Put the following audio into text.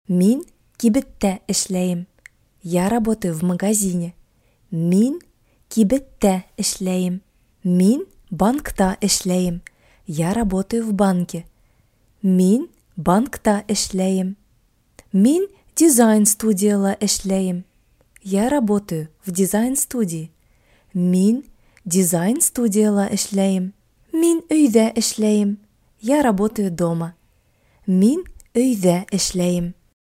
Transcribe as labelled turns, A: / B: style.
A: Мин кибеттә эшләйм. Я работаю в магазине. Мин кибеттә эшләйм. Мин банкта эшләйм. Я работаю в банке. Мин банкта эшләйм. Мин дизайн студияла эшләйм. Я работаю в дизайн-студии. Мин дизайн студияла эшләйм. Мин өйдә эшләйм. Я работаю дома. Мин өйдә эшләйм.